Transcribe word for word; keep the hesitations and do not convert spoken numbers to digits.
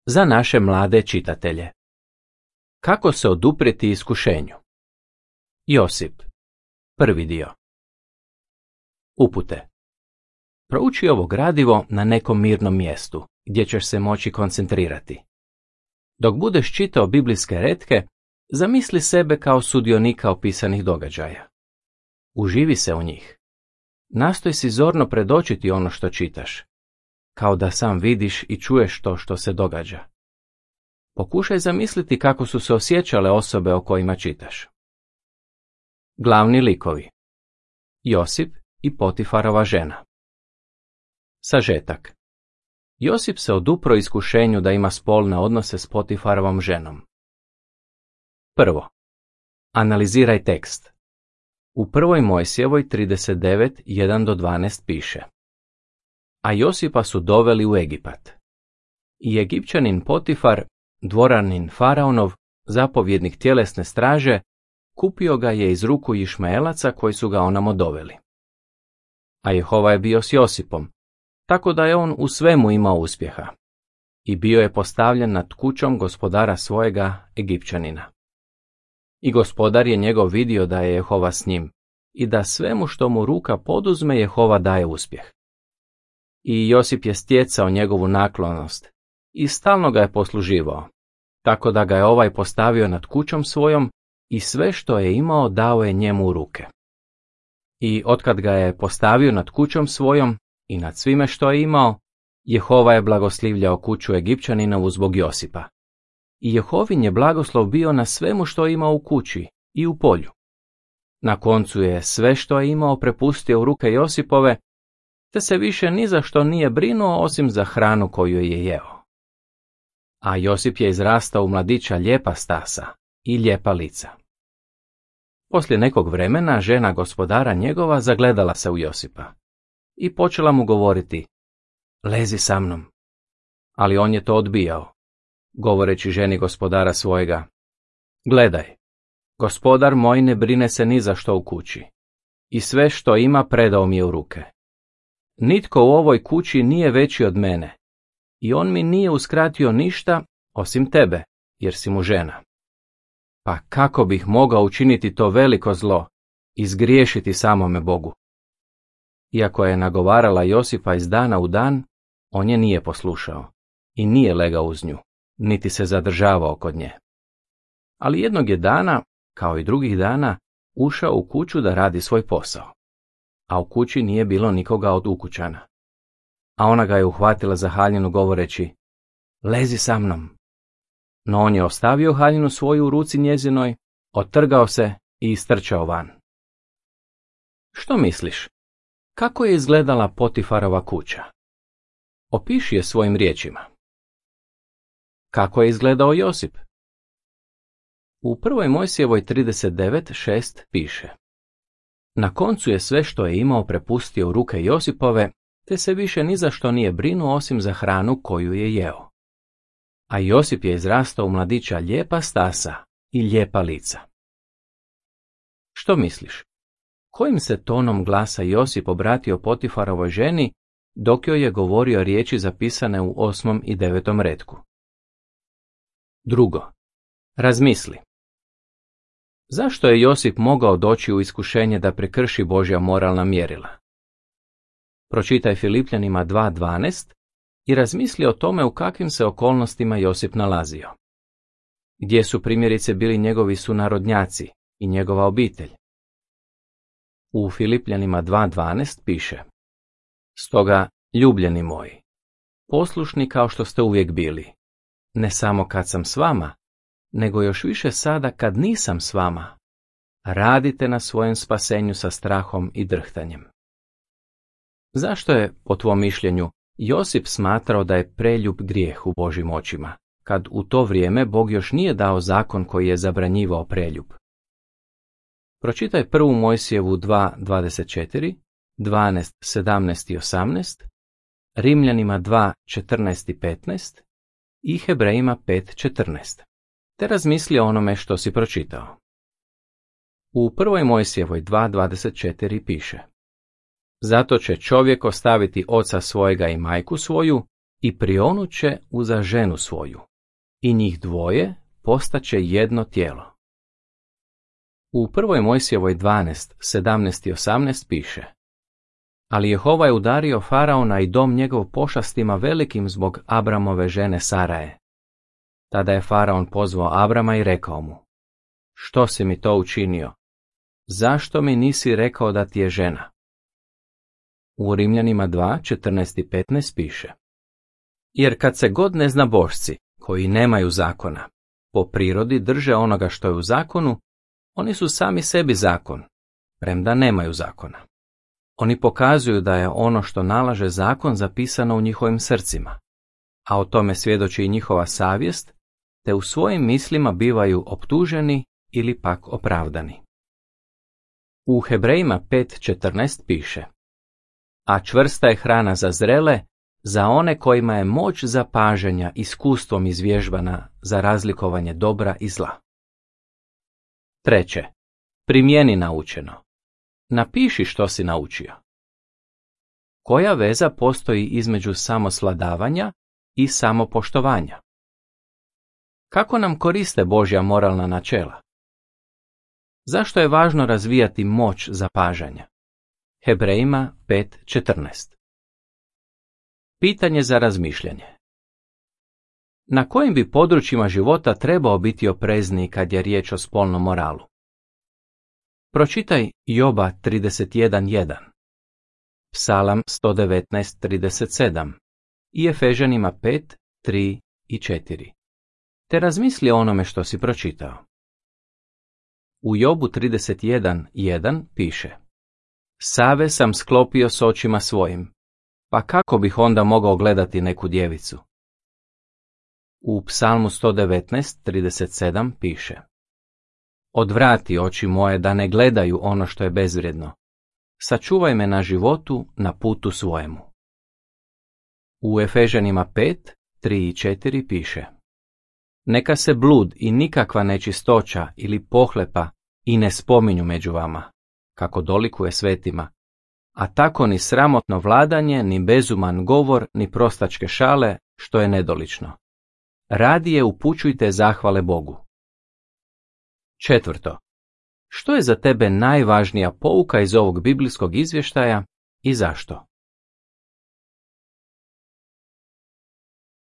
Za naše mlade čitatelje. Kako se oduprijeti iskušenju? Josip. Prvi dio. Upute. Prouči ovo gradivo na nekom mirnom mjestu, gdje ćeš se moći koncentrirati. Dok budeš čitao biblijske retke, zamisli sebe kao sudionika opisanih događaja. Uživi se u njih. Nastoj si zorno predočiti ono što čitaš, kao da sam vidiš i čuješ to što se događa. Pokušaj zamisliti kako su se osjećale osobe o kojima čitaš. Glavni likovi. Josip i Potifarova žena. Sažetak. Josip se odupro iskušenju da ima spolne odnose s Potifarovom ženom. Prvo. Analiziraj tekst. U prvoj Mojsijevoj trideset devet, jedan do dvanaest piše: A Josipa su doveli u Egipat. I Egipćanin Potifar, dvoranin Faraonov, zapovjednik tjelesne straže, kupio ga je iz ruku Išmaelaca koji su ga onamo doveli. A Jehova je bio s Josipom, tako da je on u svemu imao uspjeha. I bio je postavljen nad kućom gospodara svojega Egipćanina. I gospodar je njegov vidio da je Jehova s njim i da svemu što mu ruka poduzme Jehova daje uspjeh. I Josip je stjecao njegovu naklonost i stalno ga je posluživao, tako da ga je ovaj postavio nad kućom svojom i sve što je imao dao je njemu u ruke. I otkad ga je postavio nad kućom svojom i nad svime što je imao, Jehova je blagoslivljao kuću Egipćaninovu zbog Josipa. I Jehovin je blagoslov bio na svemu što je imao u kući i u polju. Na koncu je sve što je imao prepustio u ruke Josipove, te se više ni za što nije brinuo osim za hranu koju je jeo. A Josip je izrastao u mladića lijepa stasa i lijepa lica. Poslije nekog vremena žena gospodara njegova zagledala se u Josipa i počela mu govoriti: Lezi sa mnom. Ali on je to odbijao, govoreći ženi gospodara svojega: Gledaj, gospodar moj ne brine se ni za što u kući i sve što ima predao mi je u ruke. Nitko u ovoj kući nije veći od mene i on mi nije uskratio ništa osim tebe, jer si mu žena. Pa kako bih mogao učiniti to veliko zlo i zgriješiti samome Bogu? Iako je nagovarala Josipa iz dana u dan, on je nije poslušao i nije legao uz nju, niti se zadržavao kod nje. Ali jednog je dana, kao i drugih dana, ušao u kuću da radi svoj posao, a u kući nije bilo nikoga od ukućana. A ona ga je uhvatila za haljinu govoreći: Lezi sa mnom. No on je ostavio haljinu svoju u ruci njezinoj, otrgao se i istrčao van. Što misliš? Kako je izgledala Potifarova kuća? Opiši je svojim riječima. Kako je izgledao Josip? U prvoj Mojsijevoj trideset devet, šest piše: Na koncu je sve što je imao prepustio u ruke Josipove, te se više ni za što nije brinuo osim za hranu koju je jeo. A Josip je izrastao u mladića lijepa stasa i lijepa lica. Što misliš? Kojim se tonom glasa Josip obratio Potifarovoj ženi dok joj je govorio riječi zapisane u osmom i devetom retku? Drugo. Razmisli. Zašto je Josip mogao doći u iskušenje da prekrši Božja moralna mjerila? Pročitaj Filipljanima dva dvanaest i razmisli o tome u kakvim se okolnostima Josip nalazio. Gdje su primjerice bili njegovi sunarodnjaci i njegova obitelj? U Filipljanima dva dvanaest piše: Stoga, ljubljeni moji, poslušni kao što ste uvijek bili, ne samo kad sam s vama, nego još više sada kad nisam s vama, radite na svojem spasenju sa strahom i drhtanjem. Zašto je, po tvom mišljenju, Josip smatrao da je preljub grijeh u Božjim očima, kad u to vrijeme Bog još nije dao zakon koji je zabranjivao preljub? Pročitaj prvu Mojsijevu dva dvadeset četiri, dvanaest, sedamnaest i osamnaest, Rimljanima dva četrnaest i petnaest i Hebrejima pet četrnaest, te razmisli o onome što si pročitao. U prvoj Mojsijevoj dva dvadeset četiri piše: Zato će čovjek ostaviti oca svojega i majku svoju i prionuće uza ženu svoju, i njih dvoje postaće jedno tijelo. U prvoj Mojsijevoj dvanaest, sedamnaest i osamnaest piše: Ali Jehova je udario Faraona i dom njegov pošastima velikim zbog Abramove žene Saraje. Tada je Faraon pozvao Abrama i rekao mu: Što si mi to učinio? Zašto mi nisi rekao da ti je žena? U Rimljanima dva, četrnaest i petnaest piše: Jer kad se god neznabošci, koji nemaju zakona, po prirodi drže onoga što je u zakonu, oni su sami sebi zakon, premda nemaju zakona. Oni pokazuju da je ono što nalaže zakon zapisano u njihovim srcima, a o tome svjedoči i njihova savjest, te u svojim mislima bivaju optuženi ili pak opravdani. U Hebrejima pet četrnaest piše: A čvrsta je hrana za zrele, za one kojima je moć zapažanja iskustvom izvježbana za razlikovanje dobra i zla. Treće, primjeni naučeno. Napiši što si naučio. Koja veza postoji između samosladavanja i samopoštovanja? Kako nam koriste Božja moralna načela? Zašto je važno razvijati moć zapažanja? Hebrejima pet četrnaest. Pitanje za razmišljanje. Na kojim bi područjima života trebao biti oprezniji kad je riječ o spolnom moralu? Pročitaj Joba trideset jedan jedan, Psalam sto devetnaest trideset sedam i Efežanima pet tri i četiri. Te razmisli o onome što si pročitao. U Jobu trideset jedan jedan piše: Save sam sklopio s očima svojim, pa kako bih onda mogao gledati neku djevicu? U Psalmu sto devetnaest trideset sedam piše: Odvrati oči moje da ne gledaju ono što je bezvrijedno. Sačuvaj me na životu na putu svojemu. U Efežanima pet tri i četiri piše: Neka se blud i nikakva nečistoća ili pohlepa i ne spominju među vama, kako dolikuje svetima, a tako ni sramotno vladanje, ni bezuman govor, ni prostačke šale, što je nedolično. Radije upućujte zahvale Bogu. Četvrto. Što je za tebe najvažnija pouka iz ovog biblijskog izvještaja i zašto?